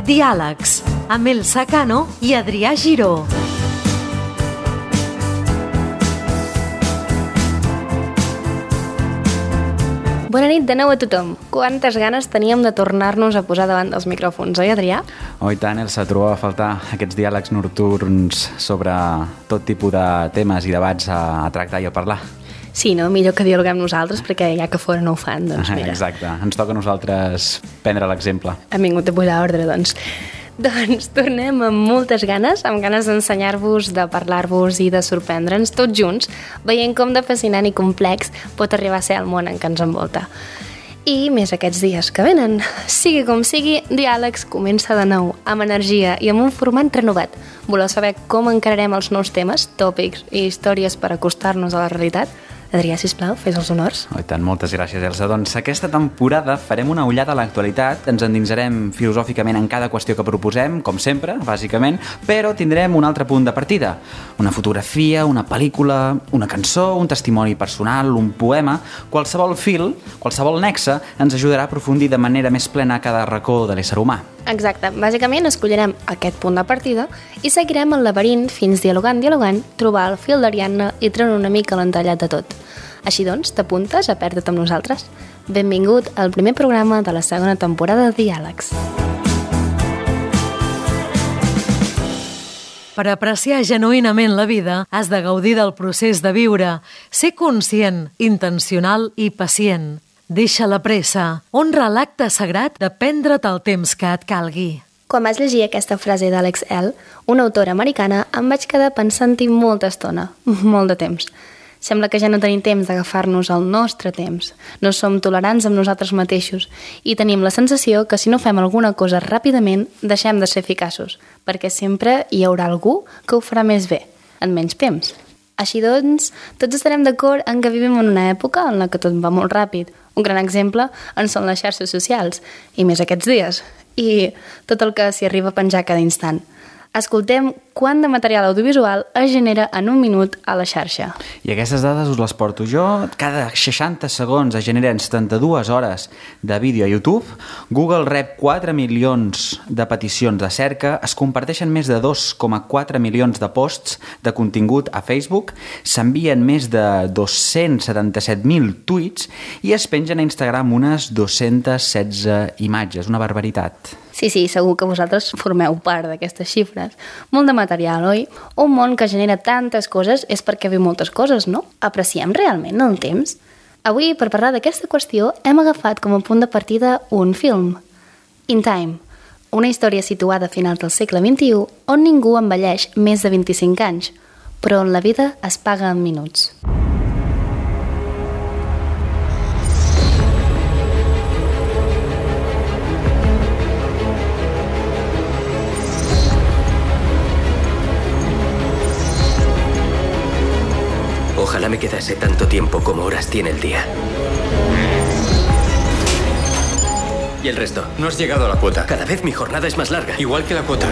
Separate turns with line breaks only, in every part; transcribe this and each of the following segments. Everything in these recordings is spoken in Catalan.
Diàlegs, amb Elsa Cano i Adrià Giró.
Bona nit de nou a tothom. Quantes ganes teníem de tornar-nos a posar davant dels micròfons, oi, Adrià?
Oh, i tant, Elsa, trobava a faltar aquests diàlegs nocturns sobre tot tipus de temes i debats a tractar i a parlar.
Sí, no? Millor que dialoguem nosaltres, perquè ja que fora no ho fan, doncs mira.
Exacte, ens toca a nosaltres prendre l'exemple.
Hem vingut a posar ordre, doncs. Doncs tornem amb moltes ganes, amb ganes d'ensenyar-vos, de parlar-vos i de sorprendre'ns tots junts, veient com de fascinant i complex pot arribar a ser el món en què ens envolta. I més aquests dies que venen. Sigui com sigui, Diàlegs comença de nou, amb energia i amb un format renovat. Voleu saber com encararem els nous temes, tòpics i històries per acostar-nos a la realitat? Adrià, sisplau, fes els honors.
Oh, i tant, moltes gràcies, Elsa. Doncs aquesta temporada farem una ullada a l'actualitat, ens endinsarem filosòficament en cada qüestió que proposem, com sempre, bàsicament, però tindrem un altre punt de partida. Una fotografia, una pel·lícula, una cançó, un testimoni personal, un poema, qualsevol fil, qualsevol nexe ens ajudarà a aprofundir de manera més plena a cada racó de l'ésser humà.
Exacte. Bàsicament escollirem aquest punt de partida i seguirem el laberint fins dialogant, trobar el fil d'Ariadna i treure una mica l'entallat de tot. Així doncs, t'apuntes a perdre't amb nosaltres? Benvingut al primer programa de la segona temporada de Diàlegs.
Per apreciar genuïnament la vida, has de gaudir del procés de viure, ser conscient, intencional i pacient. Deixa la pressa, honra l'acte sagrat de prendre't el temps que et calgui.
Quan vaig llegir aquesta frase d'Alex Elle, una autora americana, em vaig quedar pensant-hi molta estona, molt de temps. Sembla que ja no tenim temps d'agafar-nos el nostre temps. No som tolerants amb nosaltres mateixos i tenim la sensació que si no fem alguna cosa ràpidament deixem de ser eficaços, perquè sempre hi haurà algú que ho farà més bé, en menys temps. Així doncs, tots estarem d'acord en que vivim en una època en la que tot va molt ràpid. Un gran exemple en són les xarxes socials, i més aquests dies, i tot el que s'hi arriba a penjar cada instant. Escoltem quant de material audiovisual es genera en un minut a la xarxa.
I aquestes dades us les porto jo. Cada 60 segons es generen 72 hores de vídeo a YouTube. Google rep 4 milions de peticions de cerca. Es comparteixen més de 2,4 milions de posts de contingut a Facebook. S'envien més de 277.000 tuits i es pengen a Instagram unes 216 imatges. Una barbaritat.
Sí, segur que vosaltres formeu part d'aquestes xifres. Molt de material, oi? Un món que genera tantes coses és perquè viu moltes coses, no? Apreciem realment el temps? Avui, per parlar d'aquesta qüestió, hem agafat com a punt de partida un film. In Time, una història situada a finals del segle XXI on ningú envelleix més de 25 anys, però on la vida es paga en minuts.
Ojalá me quedase tanto tiempo como horas tiene el día. ¿Y el resto?
No has llegado a la cuota.
Cada vez mi jornada es más larga.
Igual que la cuota.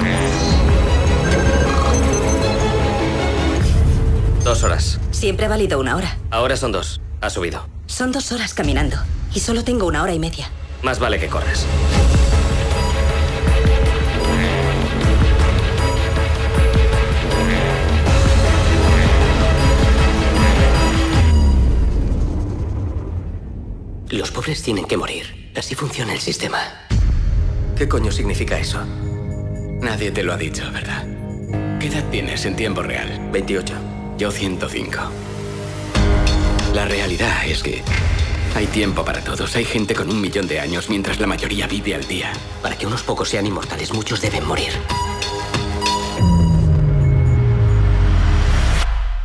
2 horas.
Siempre ha valido 1 hora.
Ahora son 2. Ha subido.
Son 2 horas caminando. Y solo tengo 1 hora y media.
Más vale que corras. Los pobres tienen que morir. Así funciona el sistema. ¿Qué coño significa eso?
Nadie te lo ha dicho, ¿verdad? ¿Qué edad tienes en tiempo real?
28.
Yo 105. La realidad es que hay tiempo para todos. Hay gente con 1 millón de años, mientras la mayoría vive al día.
Para que unos pocos sean inmortales, muchos deben morir.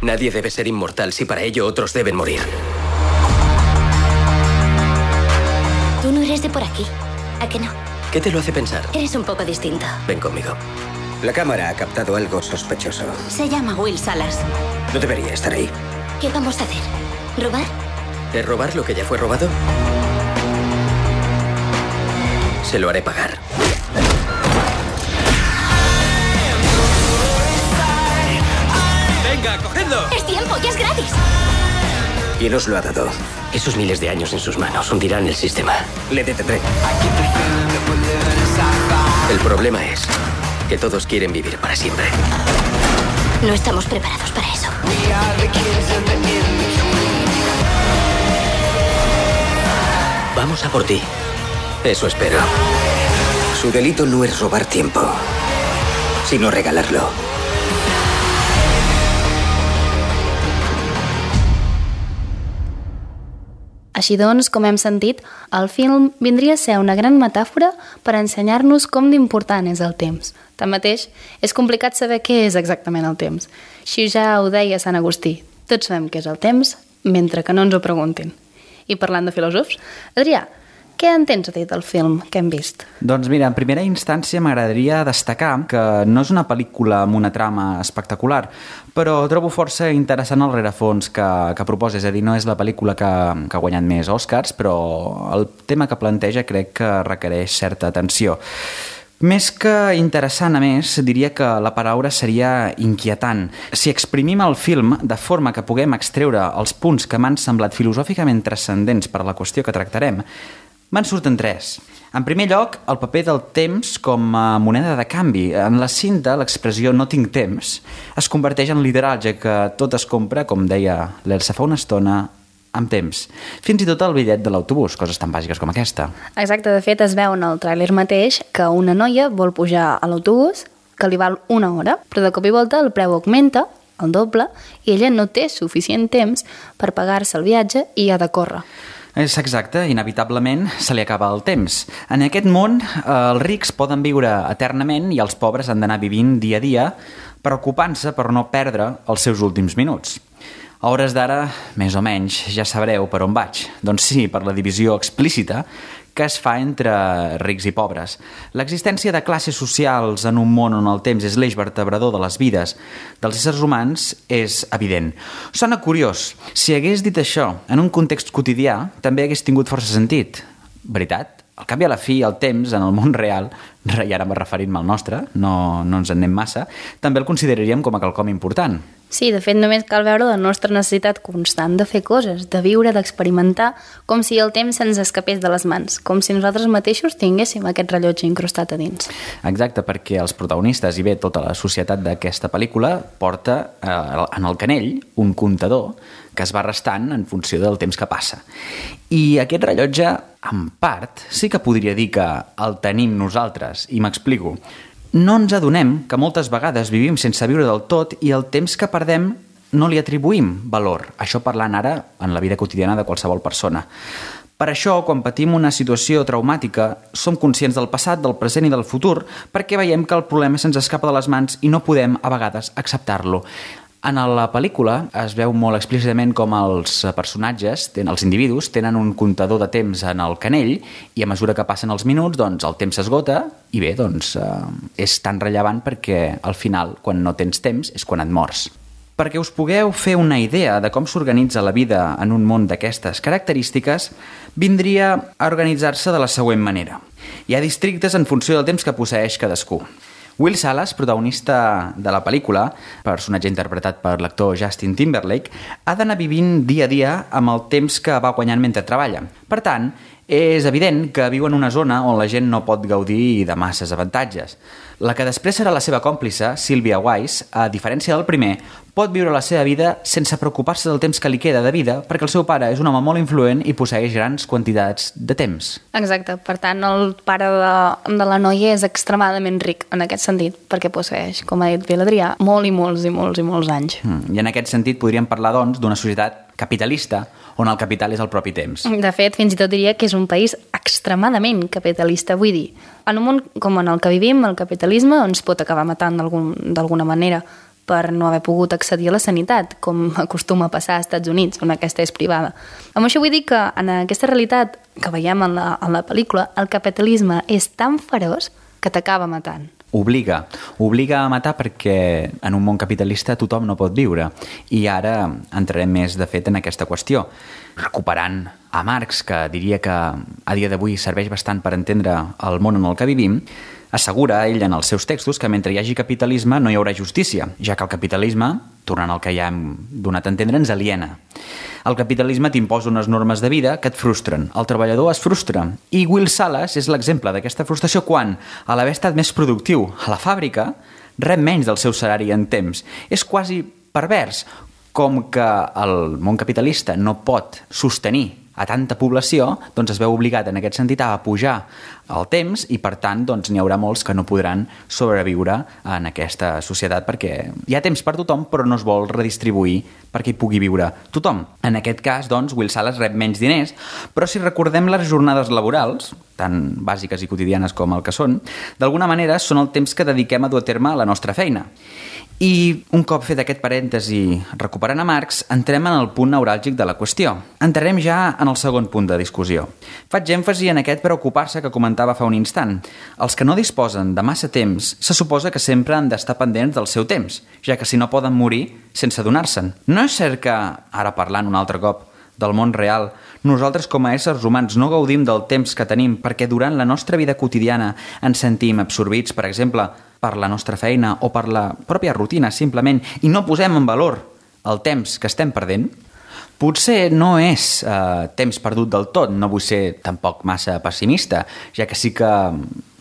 Nadie debe ser inmortal si para ello otros deben morir.
Tú no eres de por aquí, ¿a que no?
¿Qué te lo hace pensar?
Eres un poco distinto.
Ven conmigo.
La cámara ha captado algo sospechoso.
Se llama Will Salas.
No debería estar ahí.
¿Qué vamos a hacer? ¿Robar?
¿Es robar lo que ya fue robado? Se lo haré pagar.
¡Venga, cogedlo!
¡Es tiempo, ya es gratis!
¿Quién os lo ha dado?
Esos miles de años en sus manos hundirán el sistema.
Le detendré.
I keep the feeling that we're living in sci-fi.
El problema es que todos quieren vivir para siempre.
No estamos preparados para eso.
Vamos a por ti. Eso espero.
Su delito no es robar tiempo, sino regalarlo.
Així doncs, com hem sentit, el film vindria a ser una gran metàfora per ensenyar-nos com d'important és el temps. Tanmateix, és complicat saber què és exactament el temps. Així ja ho deia Sant Agustí, tots sabem què és el temps, mentre que no ens ho preguntin. I parlant de filòsofs, Adrià, què en tens a dir del film que hem vist?
Doncs mira, en primera instància m'agradaria destacar que no és una pel·lícula amb una trama espectacular, però trobo força interessant el rerefons que proposa, és a dir, no és la pel·lícula que ha guanyat més Oscars, però el tema que planteja crec que requereix certa atenció. Més que interessant, a més, diria que la paraula seria inquietant. Si exprimim el film de forma que puguem extreure els punts que m'han semblat filosòficament transcendents per a la qüestió que tractarem, me'n surten tres. En primer lloc, el paper del temps com a moneda de canvi. En la cinta, l'expressió no tinc temps es converteix en lideratge que tot es compra, com deia l'Elsa fa una estona, amb temps. Fins i tot el bitllet de l'autobús, coses tan bàsiques com aquesta.
Exacte, de fet es veu en el tràiler mateix que una noia vol pujar a l'autobús que li val 1 hora, però de cop i volta el preu augmenta, el doble, i ella no té suficient temps per pagar-se el viatge i ha de córrer.
És exacte, inevitablement se li acaba el temps. En aquest món, els rics poden viure eternament i els pobres han d'anar vivint dia a dia, preocupant-se per no perdre els seus últims minuts. A hores d'ara, més o menys, ja sabreu per on vaig. Doncs sí, per la divisió explícita que es fa entre rics i pobres. L'existència de classes socials en un món on el temps és l'eix vertebrador de les vides dels éssers humans és evident. Sona curiós. Si hagués dit això en un context quotidià, també hagués tingut força sentit. Veritat? Al cap i a la fi, el temps, en el món real, i ara referint-me al nostre, no ens en anem massa, també el consideraríem com a quelcom important.
Sí, de fet, només cal veure la nostra necessitat constant de fer coses, de viure, d'experimentar, com si el temps se'ns escapés de les mans, com si nosaltres mateixos tinguéssim aquest rellotge incrustat a dins.
Exacte, perquè els protagonistes i bé tota la societat d'aquesta pel·lícula porta en el canell un comptador que es va restant en funció del temps que passa. I aquest rellotge, en part, sí que podria dir que el tenim nosaltres, i m'explico. No ens adonem que moltes vegades vivim sense viure del tot i el temps que perdem no li atribuïm valor. Això parlant ara en la vida quotidiana de qualsevol persona. Per això, quan patim una situació traumàtica, som conscients del passat, del present i del futur, perquè veiem que el problema se'ns escapa de les mans i no podem, a vegades, acceptar-lo. En la pel·lícula es veu molt explícitament com els personatges, els individus, tenen un comptador de temps en el canell i a mesura que passen els minuts, doncs, el temps s'esgota i bé, doncs, és tan rellevant perquè al final, quan no tens temps, és quan et mors. Perquè us pugueu fer una idea de com s'organitza la vida en un món d'aquestes característiques, vindria a organitzar-se de la següent manera. Hi ha districtes en funció del temps que posseeix cadascú. Will Salas, protagonista de la pel·lícula, personatge interpretat per l'actor Justin Timberlake, ha d'anar vivint dia a dia amb el temps que va guanyant mentre treballa. Per tant, és evident que viu en una zona on la gent no pot gaudir de masses avantatges. La que després serà la seva còmplice, Sylvia Weiss, a diferència del primer, pot viure la seva vida sense preocupar-se del temps que li queda de vida perquè el seu pare és un home molt influent i posseeix grans quantitats de temps.
Exacte, per tant, el pare de la noia és extremadament ric en aquest sentit, perquè posseeix, com ha dit Adrià, molts anys.
I en aquest sentit podríem parlar, doncs, d'una societat capitalista on el capital és el propi temps.
De fet, fins i tot diria que és un país extremadament capitalista. Vull dir, en un món com en el que vivim, el capitalisme ens pot acabar matant d'alguna manera per no haver pogut accedir a la sanitat, com acostuma a passar als Estats Units, on aquesta és privada. Amb això vull dir que en aquesta realitat que veiem en la pel·lícula, el capitalisme és tan feroç que t'acaba matant.
Obliga a matar perquè en un món capitalista tothom no pot viure. I ara entrarem més, de fet, en aquesta qüestió. Recuperant a Marx, que diria que a dia d'avui serveix bastant per entendre el món en el que vivim, Assegura ell en els seus textos que mentre hi hagi capitalisme no hi haurà justícia, ja que el capitalisme, tornant al que ja hem donat a entendre, ens aliena. El capitalisme t'imposa unes normes de vida que et frustren. El treballador es frustra. I Will Salas és l'exemple d'aquesta frustració quan, a l'haver estat més productiu a la fàbrica, rep menys del seu salari en temps. És quasi pervers, com que el món capitalista no pot sostenir a tanta població, doncs es veu obligat en aquest sentit a pujar el temps i, per tant, doncs, n'hi haurà molts que no podran sobreviure en aquesta societat perquè hi ha temps per tothom, però no es vol redistribuir perquè hi pugui viure tothom. En aquest cas, doncs, Will Salas rep menys diners, però si recordem les jornades laborals, tan bàsiques i quotidianes com el que són, d'alguna manera són el temps que dediquem a dur a terme la nostra feina. I un cop fet aquest parèntesi recuperant a Marx, entrem en el punt neuràlgic de la qüestió. Entrarem ja en el segon punt de discussió. Faig èmfasi en aquest preocupar-se que comentava fa un instant. Els que no disposen de massa temps se suposa que sempre han d'estar pendents del seu temps, ja que si no poden morir sense adonar-se'n. No és cert que, ara parlant un altre cop del món real, nosaltres com a éssers humans no gaudim del temps que tenim perquè durant la nostra vida quotidiana ens sentim absorbits, per exemple, per la nostra feina o per la pròpia rutina, simplement, i no posem en valor el temps que estem perdent? Potser no és temps perdut del tot, no vull ser tampoc massa pessimista, ja que sí que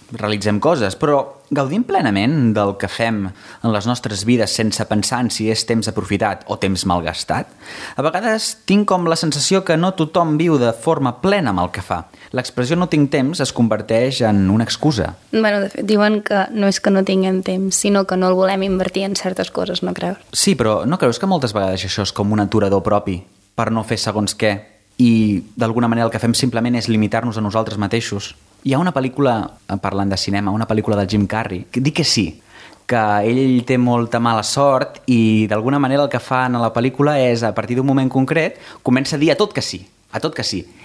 realitzem coses, però gaudim plenament del que fem en les nostres vides sense pensar en si és temps aprofitat o temps malgastat? A vegades tinc com la sensació que no tothom viu de forma plena amb el que fa. L'expressió no tinc temps es converteix en una excusa.
Bueno, de fet, diuen que no és que no tinguem temps, sinó que no el volem invertir en certes coses, no creus?
Sí, però no creus que moltes vegades això és com un aturador propi per no fer segons què i d'alguna manera el que fem simplement és limitar-nos a nosaltres mateixos? Hi ha una pel·lícula, parlant de cinema, una pel·lícula del Jim Carrey, que dic que sí, que ell té molta mala sort i d'alguna manera el que fa en la pel·lícula és, a partir d'un moment concret, comença a dir a tot que sí,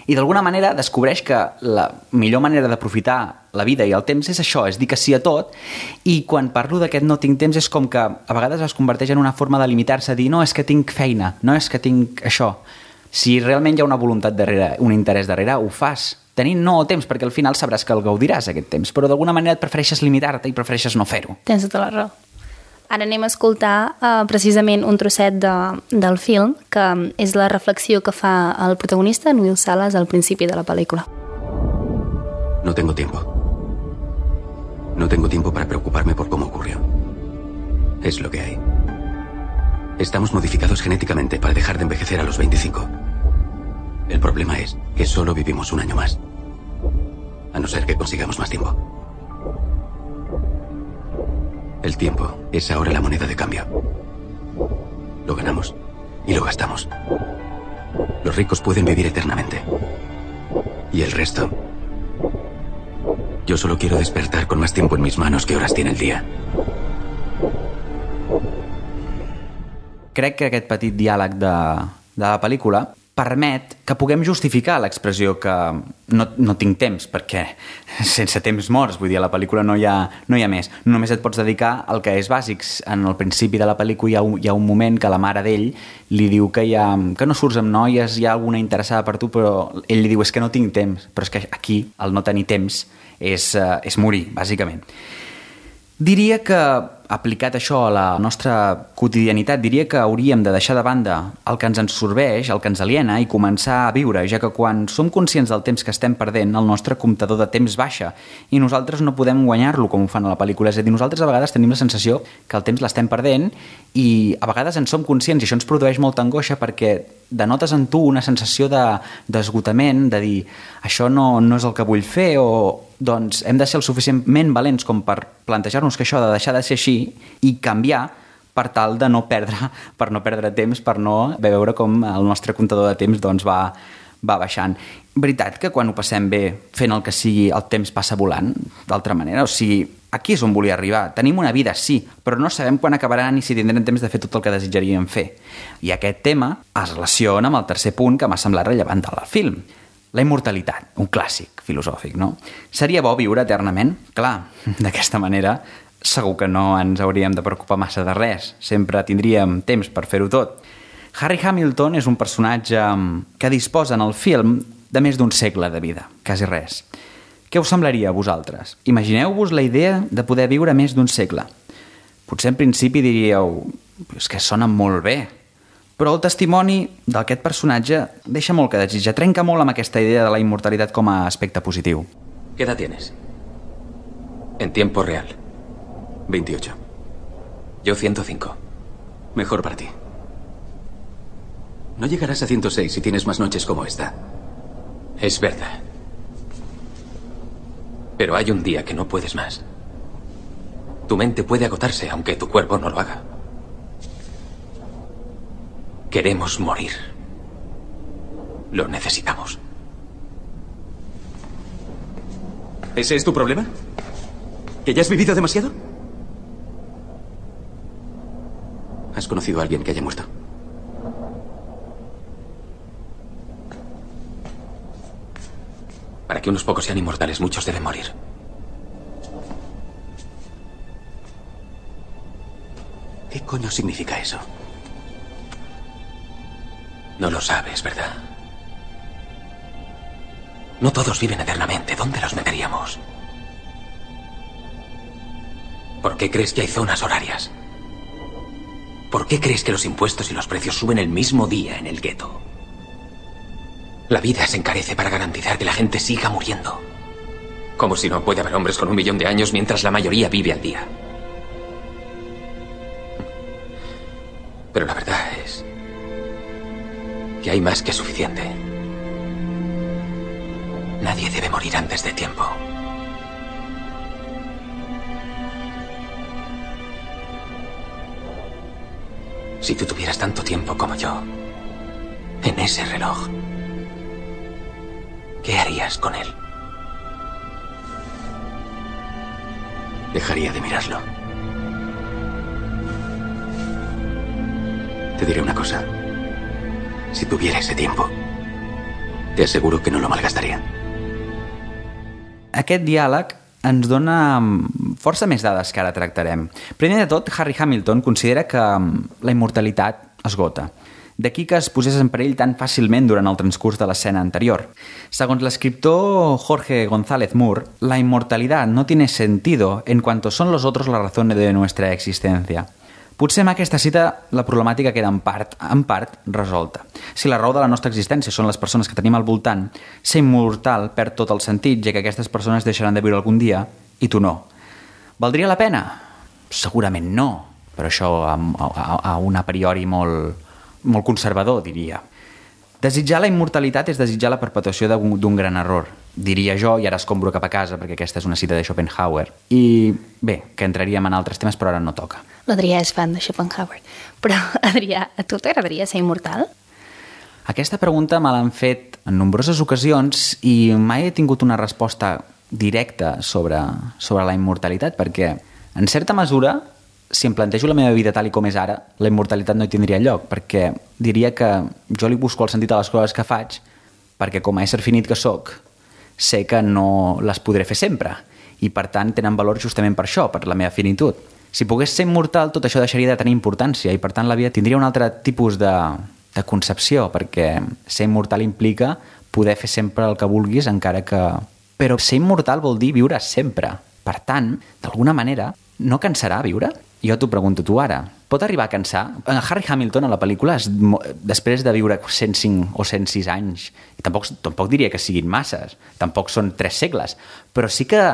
I d'alguna manera descobreix que la millor manera d'aprofitar la vida i el temps és això, és dir que sí a tot, i quan parlo d'aquest no tinc temps és com que a vegades es converteix en una forma de limitar-se, a dir no, és que tinc feina, no és que tinc això. Si realment hi ha una voluntat darrere, un interès darrere, ho fas. Tenint no temps, perquè al final sabràs que el gaudiràs aquest temps, però d'alguna manera et prefereixes limitar-te i prefereixes no fer-ho.
Tens tota la raó. Ara anem a escoltar precisament un trosset del film, que és la reflexió que fa el protagonista, en Will Salas, al principi de la pel·lícula.
No tengo tiempo. No tengo tiempo para preocuparme por cómo ocurrió. Es lo que hay. Estamos modificados genéticamente para dejar de envejecer a los 25. El problema es que solo vivimos un año más. A no ser que consigamos más tiempo. El tiempo es ahora la moneda de cambio. Lo ganamos y lo gastamos. Los ricos pueden vivir eternamente. Y el resto... Yo solo quiero despertar con más tiempo en mis manos que horas tiene el día.
Crec que aquest petit diàleg de la pel·lícula permet que puguem justificar l'expressió que no tinc temps, perquè sense temps morts, vull dir, a la pel·lícula no hi ha més. Només et pots dedicar al que és bàsic. En el principi de la pel·lícula hi ha un moment que la mare d'ell li diu que no surts amb noies, hi ha alguna interessada per tu, però ell li diu és que no tinc temps. Però és que aquí el no tenir temps és morir, bàsicament. Diria que, aplicat això a la nostra quotidianitat, diria que hauríem de deixar de banda el que ens absorbeix, el que ens aliena i començar a viure, ja que quan som conscients del temps que estem perdent, el nostre comptador de temps baixa i nosaltres no podem guanyar-lo com ho fan a la pel·lícula. És a dir, nosaltres a vegades tenim la sensació que el temps l'estem perdent i a vegades en som conscients i això ens produeix molta angoixa perquè denotes en tu una sensació d'esgotament, de dir això no és el que vull fer o doncs hem de ser el suficientment valents com per plantejar-nos que això ha de deixar de ser així i canviar per tal de no perdre temps, per no veure com el nostre comptador de temps doncs, va baixant. Veritat que quan ho passem bé fent el que sigui el temps passa volant, d'altra manera? O sigui, aquí és on volia arribar. Tenim una vida, sí, però no sabem quan acabarà ni si tindrem temps de fer tot el que desitjaríem fer. I aquest tema es relaciona amb el tercer punt que m'ha semblat rellevant del film. La immortalitat, un clàssic filosòfic, no? Seria bo viure eternament? Clar, d'aquesta manera segur que no ens hauríem de preocupar massa de res. Sempre tindríem temps per fer-ho tot. Harry Hamilton és un personatge que disposa en el film de més d'un segle de vida, quasi res. Què us semblaria a vosaltres? Imagineu-vos la idea de poder viure més d'un segle. Potser en principi diríeu, és que sona molt bé, però el testimoni d'aquest personatge deixa molt que desitjar, trenca molt amb aquesta idea de la immortalitat com a aspecte positiu.
¿Qué edad tienes? En tiempo real. 28. Yo 105. Mejor para ti. No llegarás a 106 si tienes más noches como esta. Es verdad. Pero hay un día que no puedes más. Tu mente puede agotarse, aunque tu cuerpo no lo haga. Queremos morir. Lo necesitamos. ¿Ese es tu problema? ¿Que ya has vivido demasiado? ¿Has conocido a alguien que haya muerto? Para que unos pocos sean inmortales, muchos deben morir. ¿Qué coño significa eso? No lo sabes, ¿verdad? No todos viven eternamente. ¿Dónde los meteríamos? ¿Por qué crees que hay zonas horarias? ¿Por qué crees que los impuestos y los precios suben el mismo día en el gueto? La vida se encarece para garantizar que la gente siga muriendo. Como si no puede haber hombres con 1 millón de años mientras la mayoría vive al día. Pero la verdad es que hay más que suficiente. Nadie debe morir antes de tiempo. Si tú tuvieras tanto tiempo como yo en ese reloj, ¿qué harías con él? Dejaría de mirarlo. Te diré una cosa. Si tuviera ese tiempo, te aseguro que no lo malgastaria.
Aquest diàleg ens dona força més dades que ara tractarem. Primer de tot, Harry Hamilton considera que la immortalitat esgota. D'aquí que es posés en perill tan fàcilment durant el transcurs de l'escena anterior. Segons l'escriptor Jorge González Moore, la inmortalidad no tiene sentido en cuanto son los otros la razón de nuestra existencia. Potser amb aquesta cita la problemàtica queda en part resolta. Si la raó de la nostra existència són les persones que tenim al voltant, ser immortal perd tot el sentit, ja que aquestes persones deixaran de viure algun dia i tu no. Valdria la pena? Segurament no, però això a un a priori molt conservador, diria. Desitjar la immortalitat és desitjar la perpetuació d'un gran error, diria jo, i ara escombro cap a casa, perquè aquesta és una cita de Schopenhauer. I bé, que entraríem en altres temes, però ara no toca.
L'Adrià és fan de Schopenhauer. Però, Adrià, a tu t'agradaria ser immortal?
Aquesta pregunta me l'han fet en nombroses ocasions i mai he tingut una resposta directa sobre la immortalitat, perquè, en certa mesura, si em plantejo la meva vida tal com és ara, la immortalitat no hi tindria lloc, perquè diria que jo li busco el sentit a les coses que faig, perquè com a ésser finit que sóc, sé que no les podré fer sempre, i per tant tenen valor justament per això, per la meva finitud. Si pogués ser immortal, tot això deixaria de tenir importància, i per tant la vida tindria un altre tipus de concepció, perquè ser immortal implica poder fer sempre el que vulguis, encara que... Però ser immortal vol dir viure sempre. Per tant, d'alguna manera, no cansarà viure? Jo t'ho pregunto tu ara. Pot arribar a cansar? Harry Hamilton a la pel·lícula, després de viure 105 o 106 anys, i tampoc diria que siguin masses, tampoc són 3 segles, però sí que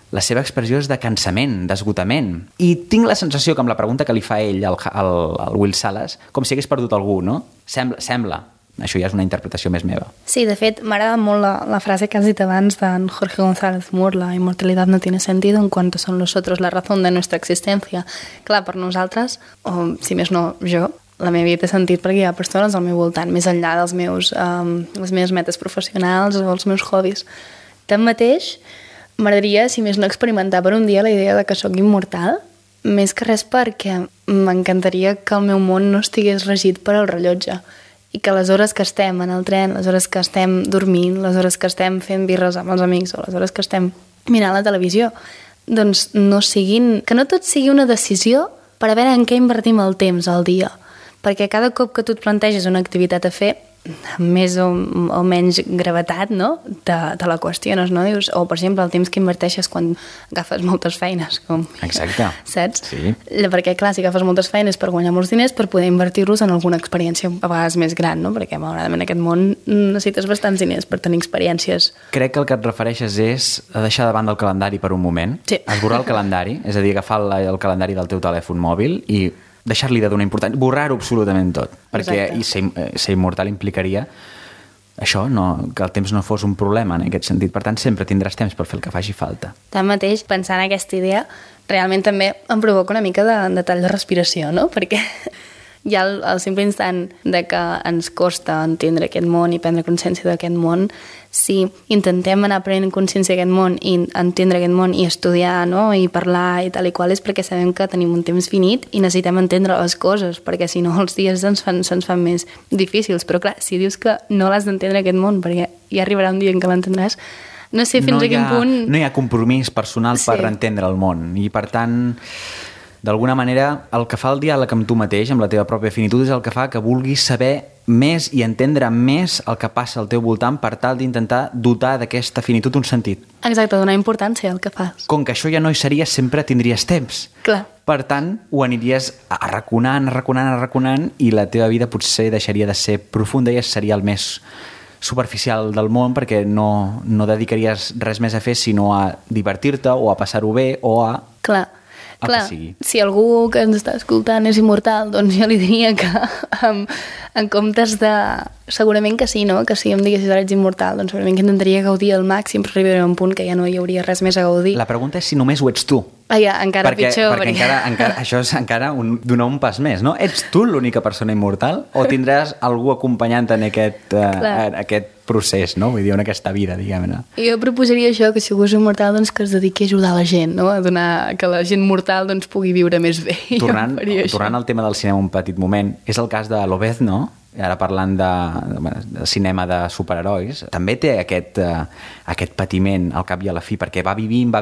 la seva expressió és de cansament, d'esgotament. I tinc la sensació que amb la pregunta que li fa ell al Will Salas, com si hagués perdut algú, no? Sembla. Això ja és una interpretació més meva.
Sí, de fet, m'agrada molt la frase que has dit abans d'en Jorge González Moore, la immortalidad no tiene sentido en cuanto son los otros la razón de nuestra existencia. Clar, per nosaltres, o si més no jo, la meva vida té sentit perquè hi ha persones al meu voltant, més enllà dels les meves metes professionals o els meus hobbies. Tanmateix, m'agradaria, si més no, experimentar per un dia la idea de que sóc immortal, més que res perquè m'encantaria que el meu món no estigués regit per al rellotge, i que les hores que estem en el tren, les hores que estem dormint, les hores que estem fent birres amb els amics o les hores que estem mirant la televisió, doncs que no tot sigui una decisió per a veure en què invertim el temps al dia. Perquè cada cop que tu et planteges una activitat a fer, més o menys gravetat, no? Te la qüestiones, no? Dius, o, per exemple, el temps que inverteixes quan agafes moltes feines.
Exacte.
Saps?
Sí.
Perquè, clar, si agafes moltes feines per guanyar molts diners, per poder invertir-los en alguna experiència a vegades més gran, no? Perquè, malauradament, en aquest món necessites bastants diners per tenir experiències.
Crec que el que et refereixes és a deixar de banda el calendari per un moment,
sí.
Esborrar el calendari, és a dir, agafar el calendari del teu telèfon mòbil i deixar-li de donar importància, borrar-ho absolutament tot, perquè ser immortal implicaria això, que el temps no fos un problema en aquest sentit. Per tant, sempre tindràs temps per fer el que faci falta.
Tanmateix, pensant en aquesta idea, realment també em provoca una mica de tall de respiració, no? Perquè hi ha el simple instant de que ens costa entendre aquest món i prendre consciència d'aquest món. Si intentem anar prenent consciència d'aquest món i entendre aquest món i estudiar, no? I parlar i tal i qual, és perquè sabem que tenim un temps finit i necessitem entendre les coses, perquè si no els dies se'ns fan més difícils. Però clar, si dius que no l'has d'entendre aquest món perquè ja arribarà un dia en què l'entendràs, no sé fins a quin punt...
No hi ha compromís personal per entendre el món i per tant... D'alguna manera, el que fa el diàleg amb tu mateix, amb la teva pròpia finitud, és el que fa que vulguis saber més i entendre més el que passa al teu voltant per tal d'intentar dotar d'aquesta finitud un sentit.
Exacte, donar importància al que fas.
Com que això ja no hi seria, sempre tindries temps.
Clar.
Per tant, ho aniries arraconant i la teva vida potser deixaria de ser profunda i seria el més superficial del món perquè no dedicaries res més a fer sinó a divertir-te o a passar-ho bé o a...
Clar, si algú que ens està escoltant és immortal, doncs jo li diria que en comptes de... Segurament que sí, no? Que si em diguessis ara ets immortal, doncs segurament que intentaria gaudir al màxim, però arribaré a un punt que ja no hi hauria res més a gaudir.
La pregunta és si només ho ets tu.
Encara pitjor.
Perquè encara, això és encara donar un pas més, no? Ets tu l'única persona immortal o tindràs algú acompanyant en aquest procés, no? Vull dir, en aquesta vida, diguem-ne.
Jo proposaria això, que si algú és immortal, doncs que es dediqui a ajudar la gent, no? A donar que la gent mortal doncs, pugui viure més bé.
Tornant al tema del cinema un petit moment, és el cas de Lobezno, ara parlant de cinema de superherois, també té aquest patiment al cap i a la fi, perquè va vivint,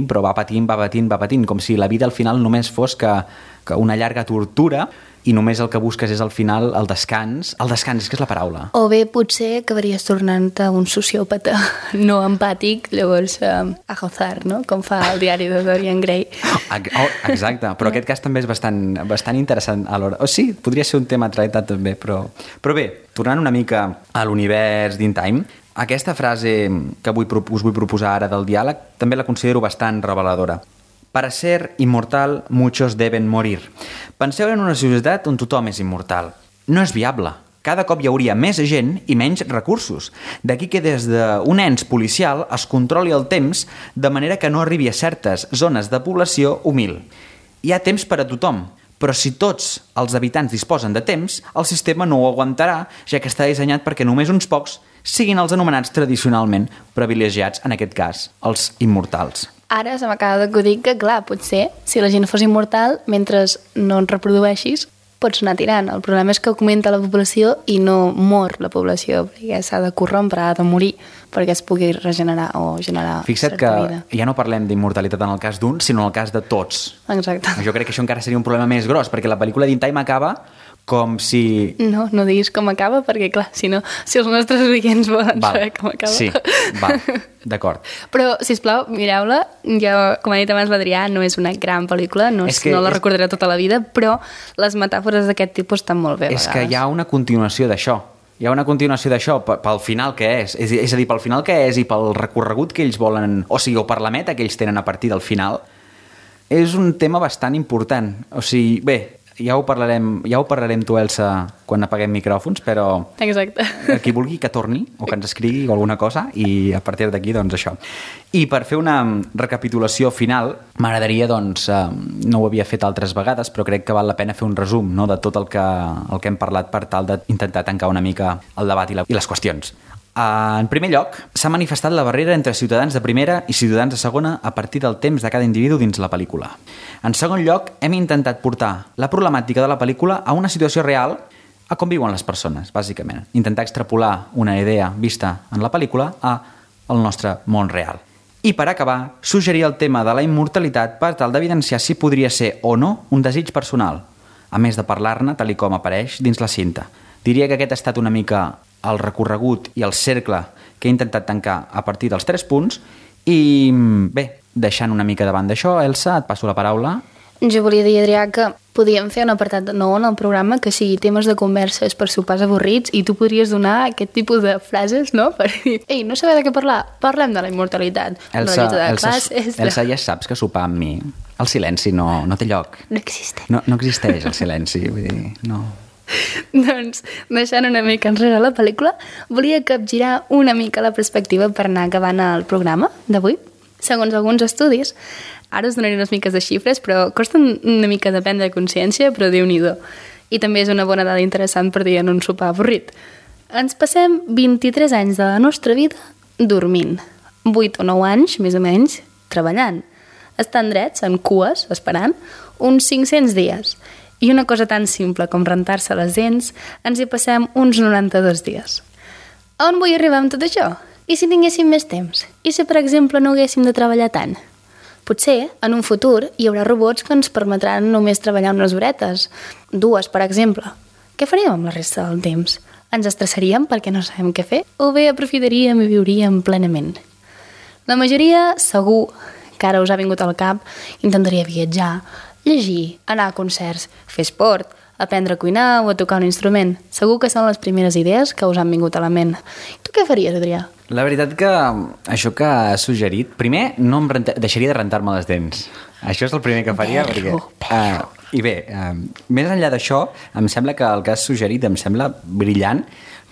però va patint, com si la vida al final només fos que una llarga tortura i només el que busques és al final el descans, és que és la paraula.
O bé potser acabaries tornant-te un sociòpata no empàtic, llavors a gozar, no? Com fa el diari de Dorian Gray.
Exacte, però aquest cas també és bastant interessant alhora. Sí, podria ser un tema a tractar també, però bé, tornant una mica a l'univers d'In Time, aquesta frase que us vull proposar ara del diàleg també la considero bastant reveladora. Para ser inmortal, muchos deben morir. Penseu en una societat on tothom és immortal. No és viable. Cada cop hi hauria més gent i menys recursos. D'aquí que des d'un ens policial es controli el temps de manera que no arribi a certes zones de població humil. Hi ha temps per a tothom, però si tots els habitants disposen de temps, el sistema no ho aguantarà, ja que està dissenyat perquè només uns pocs siguin els anomenats tradicionalment privilegiats, en aquest cas, els immortals.
Ara se m'acaba d'acudir que, clar, potser, si la gent fos immortal, mentre no et reprodueixis, pots anar tirant. El problema és que augmenta la població i no mor la població, perquè s'ha de corrompre, ha de morir, perquè es pugui regenerar o generar
Fixa't
certa vida.
Que ja no parlem d'immortalitat en el cas d'un, sinó en el cas de tots.
Exacte.
Jo crec que això encara seria un problema més gros, perquè la pel·lícula d'In Time acaba com si...
No diguis com acaba, perquè clar, si els nostres oients volen saber com acaba...
Sí, d'acord.
Però, sisplau, mireu-la. Jo, com ha dit abans l'Adrià, no és una gran pel·lícula, no la recordaré tota la vida, però les metàfores d'aquest tipus estan molt bé.
És que hi ha una continuació d'això. Hi ha una continuació d'això pel final que és. És a dir, pel final que és i pel recorregut que ells volen... O sigui, o per la meta que ells tenen a partir del final. És un tema bastant important. O sigui, bé... Ja ho parlarem tu, Elsa, quan apaguem micròfons, però
exacte.
Qui vulgui que torni o que ens escrigui alguna cosa i a partir d'aquí, doncs això. I per fer una recapitulació final, m'agradaria, doncs, no ho havia fet altres vegades, però crec que val la pena fer un resum, no?, de tot el que hem parlat per tal d'intentar tancar una mica el debat i les qüestions. En primer lloc, s'ha manifestat la barrera entre ciutadans de primera i ciutadans de segona a partir del temps de cada individu dins la pel·lícula. En segon lloc, hem intentat portar la problemàtica de la pel·lícula a una situació real, a com viuen les persones, bàsicament. Intentar extrapolar una idea vista en la pel·lícula al nostre món real. I per acabar, suggerir el tema de la immortalitat per tal d'evidenciar si podria ser o no un desig personal, a més de parlar-ne tal com apareix dins la cinta. Diria que aquest ha estat una mica el recorregut i el cercle que he intentat tancar a partir dels 3 punts i bé, deixant una mica davant d'això, Elsa, et passo la paraula.
Jo volia dir, Adrià, que podíem fer un apartat nou en el programa que sigui temes de converses per sopars avorrits i tu podries donar aquest tipus de frases, no? Per dir, ei, no sabeu de què parlar? Parlem de la immortalitat.
Elsa, ja saps que sopar amb mi, el silenci no té lloc.
No existeix.
No existeix el silenci, vull dir, no.
Doncs, deixant una mica enrere la pel·lícula, volia capgirar una mica la perspectiva per anar acabant el programa d'avui. Segons alguns estudis, ara us donaré unes miques de xifres, però costa una mica de prendre consciència, però Déu-n'hi-do. I també és una bona dada interessant per dir en un sopar avorrit. Ens passem 23 anys de la nostra vida dormint, 8 o 9 anys, més o menys, treballant. Estan drets, en cues, esperant, uns 500 dies. I una cosa tan simple com rentar-se les dents, ens hi passem uns 92 dies. On vull arribar amb tot això? I si tinguéssim més temps? I si, per exemple, no haguéssim de treballar tant? Potser, en un futur, hi haurà robots que ens permetran només treballar unes horetes. 2, per exemple. Què faríem amb la resta del temps? Ens estressaríem perquè no sabem què fer? O bé aprofitaríem i viuríem plenament? La majoria, segur, que ara us ha vingut al cap, intentaria viatjar, llegir, anar a concerts, fer esport, aprendre a cuinar o a tocar un instrument. Segur que són les primeres idees que us han vingut a la ment. Tu què faries, Adrià?
La veritat que això que has suggerit, primer no deixaria de rentar-me les dents. Això és el primer que faria. I bé, més enllà d'això, em sembla que el que has suggerit em sembla brillant,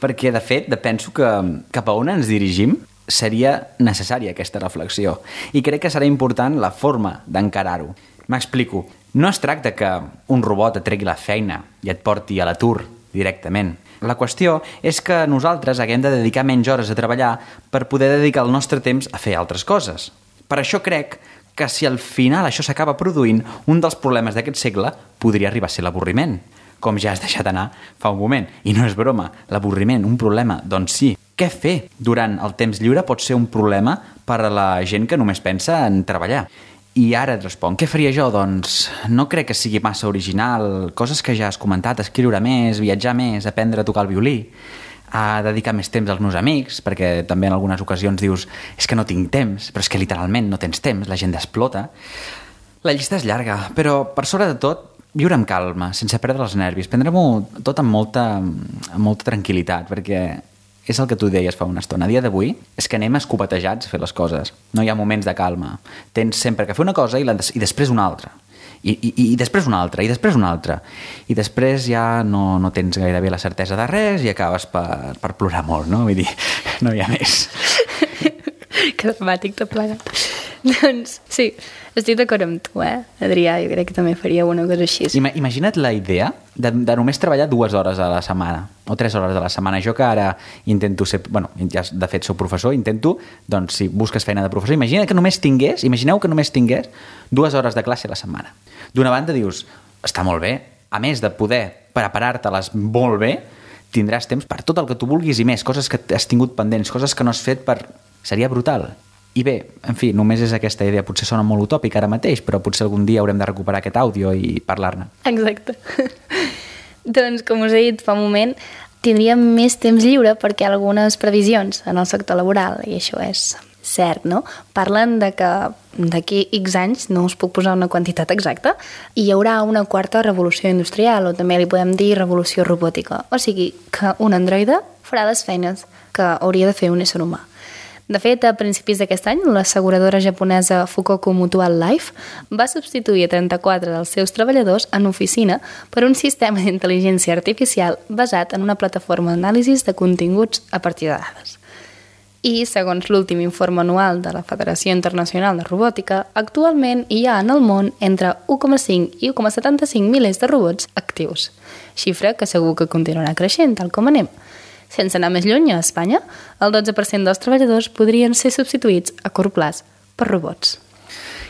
perquè de fet penso que cap a on ens dirigim seria necessària aquesta reflexió. I crec que serà important la forma d'encarar-ho. M'explico. No es tracta que un robot et tregui la feina i et porti a l'atur directament. La qüestió és que nosaltres haguem de dedicar menys hores a treballar per poder dedicar el nostre temps a fer altres coses. Per això crec que si al final això s'acaba produint, un dels problemes d'aquest segle podria arribar a ser l'avorriment, com ja has deixat anar fa un moment. I no és broma, l'avorriment, un problema, doncs sí. Què fer durant el temps lliure pot ser un problema per a la gent que només pensa en treballar. I ara et responc, què faria jo? Doncs no crec que sigui massa original, coses que ja has comentat, escriure més, viatjar més, aprendre a tocar el violí, a dedicar més temps als meus amics, perquè també en algunes ocasions dius és que no tinc temps, però és que literalment no tens temps, la gent explota. La llista és llarga, però per sobre de tot, viure amb calma, sense perdre els nervis, prendre-m'ho tot amb molta tranquil·litat, perquè és el que tu deies fa una estona. A dia d'avui és que anem escopetejats a fer les coses. No hi ha moments de calma. Tens sempre que fer una cosa i després una altra. I després una altra, i després una altra. I després ja no tens gairebé la certesa de res i acabes per plorar molt, no? Vull dir, no hi ha més.
Que dramàtic tot plegat. Doncs sí, estic d'acord amb tu, Adrià, jo crec que també faria una cosa així.
Imagina't la idea de només treballar 2 hores a la setmana o 3 hores a la setmana. Jo que ara intento ser... Bueno, ja de fet soc professor, intento, doncs si busques feina de professor, imagineu que només tingués 2 hores de classe a la setmana. D'una banda dius, està molt bé, a més de poder preparar-te-les molt bé, tindràs temps per tot el que tu vulguis i més, coses que has tingut pendents, coses que no has fet per... Seria brutal. I bé, en fi, només és aquesta idea. Potser sona molt utòpic ara mateix, però potser algun dia haurem de recuperar aquest àudio i parlar-ne.
Exacte. Doncs, com us he dit fa un moment, tindríem més temps lliure perquè hi ha algunes previsions en el sector laboral, i això és cert, no? Parlen de que d'aquí X anys, no us puc posar una quantitat exacta, hi haurà una 4ª revolució industrial, o també li podem dir revolució robòtica. O sigui, que un androide farà les feines que hauria de fer un ésser humà. De fet, a principis d'aquest any, l'asseguradora japonesa Fukoku Mutual Life va substituir a 34 dels seus treballadors en oficina per un sistema d'intel·ligència artificial basat en una plataforma d'anàlisi de continguts a partir de dades. I, segons l'últim informe anual de la Federació Internacional de Robòtica, actualment hi ha en el món entre 1,5 i 1,75 milers de robots actius, xifra que segur que continuarà creixent, tal com anem. Sense anar més lluny, a Espanya, el 12% dels treballadors podrien ser substituïts a curt plaç per robots.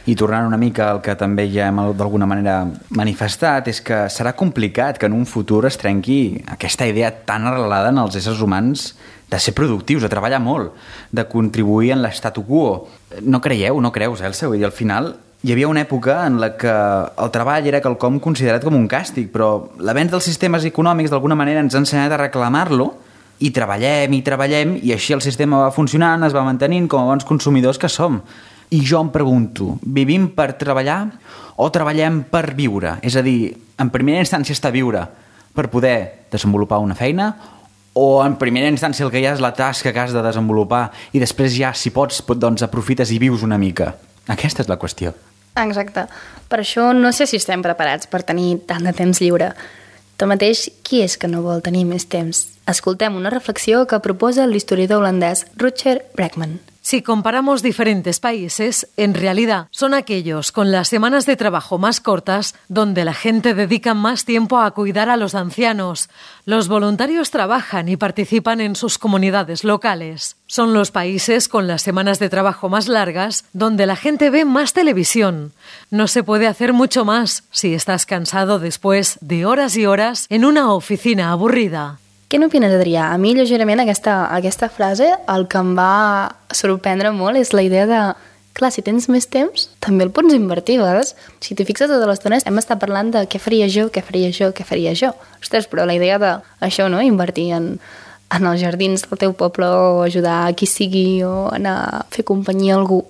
I tornant una mica al que també ja hem d'alguna manera manifestat, és que serà complicat que en un futur es trenqui aquesta idea tan arrelada en els éssers humans de ser productius, de treballar molt, de contribuir en l'statu quo. No creieu, no creus, Elsa? Vull dir, al final Hi havia una època en la que el treball era quelcom considerat com un càstig, però l'avenç dels sistemes econòmics d'alguna manera ens ha ensenyat a reclamar-lo i treballem, i així el sistema va funcionant, es va mantenint com a bons consumidors que som. I jo em pregunto, vivim per treballar o treballem per viure? És a dir, en primera instància està viure per poder desenvolupar una feina, o en primera instància el que hi ha és la tasca que has de desenvolupar i després ja, si pots, doncs aprofites i vius una mica. Aquesta és la qüestió.
Exacte. Per això no sé si estem preparats per tenir tant de temps lliure. Tanmateix, qui és que no vol tenir més temps? Escoltem una reflexió que proposa l'historiador holandès Rutger Bregman.
Si comparamos diferentes países, en realidad son aquellos con las semanas de trabajo más cortas donde la gente dedica más tiempo a cuidar a los ancianos. Los voluntarios trabajan y participan en sus comunidades locales. Son los países con las semanas de trabajo más largas donde la gente ve más televisión. No se puede hacer mucho más si estás cansado después de horas y horas en una oficina aburrida.
Què n'opines, Adrià? A mi, lleugerament, aquesta frase, el que em va sorprendre molt és la idea de, clar, si tens més temps, també el pots invertir. A vegades, si t'hi fixes tota l'estona, hem estat parlant de què faria jo. Ostres, però la idea de això, no?, invertir en els jardins del teu poble o ajudar a qui sigui o anar a fer companyia a algú.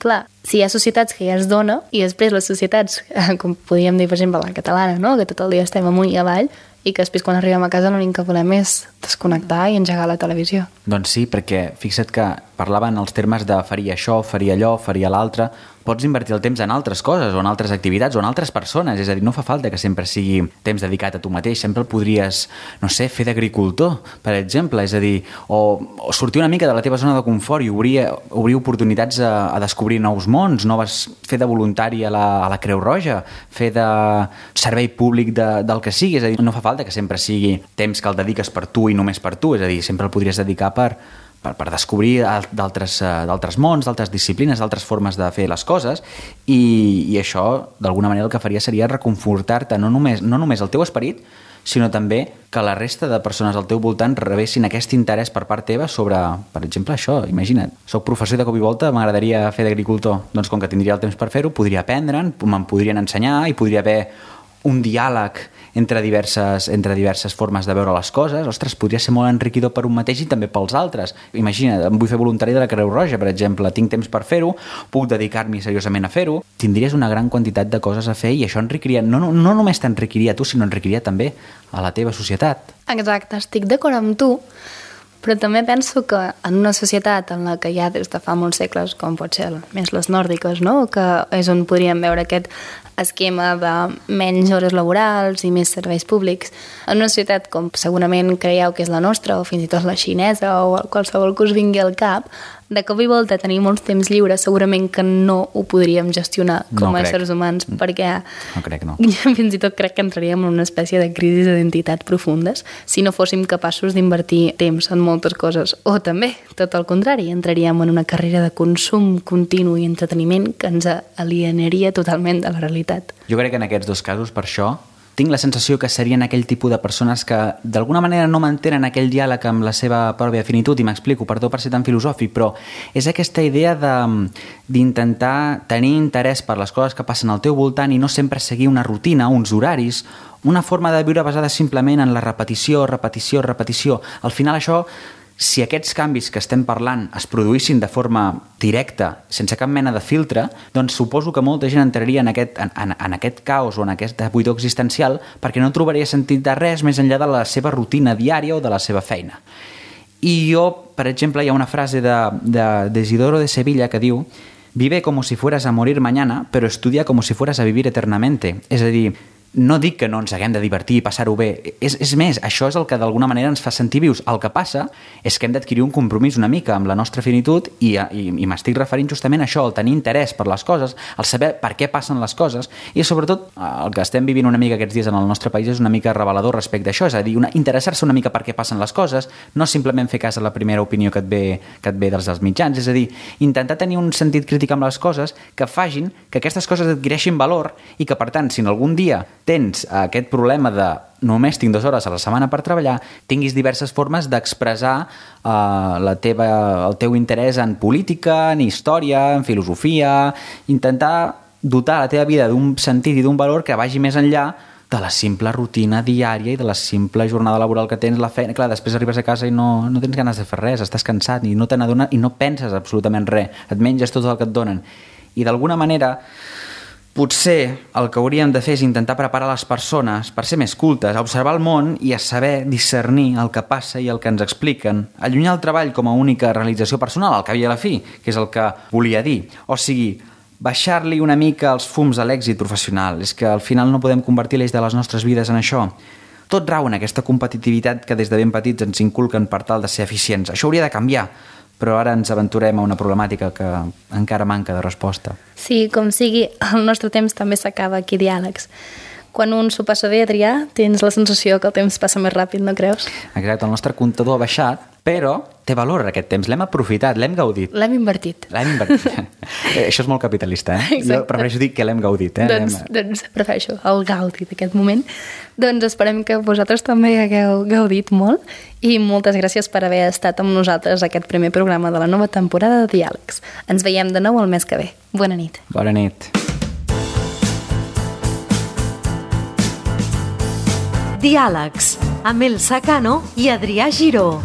Clar, si hi ha societats que ja es dona i després les societats, com podríem dir, per exemple, la catalana, no?, que tot el dia estem amunt i avall, i que després quan arribem a casa l'únic que volem és desconnectar i engegar la televisió.
Doncs sí, perquè fixa't que parlaven els termes de faria això, faria allò, faria l'altre. Pots invertir el temps en altres coses o en altres activitats o en altres persones, és a dir, no fa falta que sempre sigui temps dedicat a tu mateix, sempre el podries, no sé, fer d'agricultor, per exemple, és a dir, o sortir una mica de la teva zona de confort i obrir oportunitats a descobrir nous mons, fer de voluntari a la Creu Roja, fer de servei públic del que sigui, és a dir, no fa falta que sempre sigui temps que el dediques per tu i només per tu, és a dir, sempre el podries dedicar per descobrir d'altres mons, d'altres disciplines, d'altres formes de fer les coses i això, d'alguna manera, el que faria seria reconfortar-te no només el teu esperit, sinó també que la resta de persones al teu voltant rebessin aquest interès per part teva sobre, per exemple, això. Imagina't, soc professor i de cop i volta m'agradaria fer d'agricultor. Doncs com que tindria el temps per fer-ho, podria aprendre'n, me'n podrien ensenyar i podria haver un diàleg entre diverses formes de veure les coses. Ostres, podria ser molt enriquidor per un mateix i també pels altres. Imagina't, em vull fer voluntari de la Creu Roja, per exemple, tinc temps per fer-ho, puc dedicar-m'hi seriosament a fer-ho, tindries una gran quantitat de coses a fer i això enriquiria, no només t'enriquiria a tu, sinó enriquiria també a la teva societat.
Exacte, estic d'acord amb tu, però també penso que en una societat en la que ja des de fa molts segles, com pot ser més les nòrdiques, no?, que és on podríem veure aquest esquema de menys hores laborals i més serveis públics, en una societat com segurament creieu que és la nostra, o fins i tot la xinesa, o qualsevol que us vingui al cap, de cop i volta tenir molts temps lliures, segurament que no ho podríem gestionar com a éssers humans, perquè fins i tot crec que entraríem en una espècie de crisi d'identitat profundes si no fóssim capaços d'invertir temps en moltes coses. O també, tot el contrari, entraríem en una carrera de consum continu i entreteniment que ens alienaria totalment de la realitat.
Jo crec que en aquests dos casos, per això, tinc la sensació que serien aquell tipus de persones que d'alguna manera no mantenen aquell diàleg amb la seva pròpia finitud, i m'explico, perdó per ser tan filosòfic, però és aquesta idea d'intentar tenir interès per les coses que passen al teu voltant i no sempre seguir una rutina, uns horaris, una forma de viure basada simplement en la repetició. Al final això, si aquests canvis que estem parlant es produïssin de forma directa, sense cap mena de filtre, doncs suposo que molta gent entraria en aquest caos o en aquesta buidor existencial perquè no trobaria sentit de res més enllà de la seva rutina diària o de la seva feina. I jo, per exemple, hi ha una frase de Isidoro de Sevilla que diu: «Vive como si fueras a morir mañana, pero estudia como si fueras a vivir eternamente». És a dir, no dic que no ens haguem de divertir i passar-ho bé. És més, això és el que d'alguna manera ens fa sentir vius. El que passa és que hem d'adquirir un compromís una mica amb la nostra finitud i m'estic referint justament a això, el tenir interès per les coses, el saber per què passen les coses i sobretot el que estem vivint una mica aquests dies en el nostre país és una mica revelador respecte a això, és a dir, interessar-se una mica per què passen les coses, no simplement fer cas a la primera opinió que et ve dels mitjans, és a dir, intentar tenir un sentit crític amb les coses que facin que aquestes coses adquireixin valor i que, per tant, si en algun dia tens aquest problema de només tinc 2 hores a la setmana per treballar, tinguis diverses formes d'expressar el teu interès en política, en història, en filosofia, intentar dotar la teva vida d'un sentit i d'un valor que vagi més enllà de la simple rutina diària i de la simple jornada laboral que tens, la feina. Clar, després arribes a casa i no tens ganes de fer res, estàs cansat i no te n'adones i no penses absolutament res, et menges tot el que et donen. I d'alguna manera, potser el que hauríem de fer és intentar preparar les persones per ser més cultes, a observar el món i a saber discernir el que passa i el que ens expliquen. Allunyar el treball com a única realització personal, al cap i a la fi, que és el que volia dir. O sigui, baixar-li una mica els fums a l'èxit professional. És que al final no podem convertir l'eix de les nostres vides en això. Tot rau en aquesta competitivitat que des de ben petits ens inculquen per tal de ser eficients. Això hauria de canviar, però ara ens aventurem a una problemàtica que encara manca de resposta.
Sí, com sigui, el nostre temps també s'acaba aquí, Diàlegs. Quan un s'ho passa bé a triar, tens la sensació que el temps passa més ràpid, no creus?
Exacte, el nostre comptador ha baixat, però té valor aquest temps, l'hem aprofitat, l'hem gaudit.
L'hem invertit.
Això és molt capitalista, eh?
Exacte.
Jo prefereixo dir que l'hem gaudit, eh?
Doncs prefereixo el gaudi d'aquest moment. Doncs esperem que vosaltres també hagueu gaudit molt i moltes gràcies per haver estat amb nosaltres a aquest primer programa de la nova temporada de Diàlegs. Ens veiem de nou el mes que ve. Bona nit.
Bona nit.
Diàlegs, amb Elsa Cano i Adrià Giró.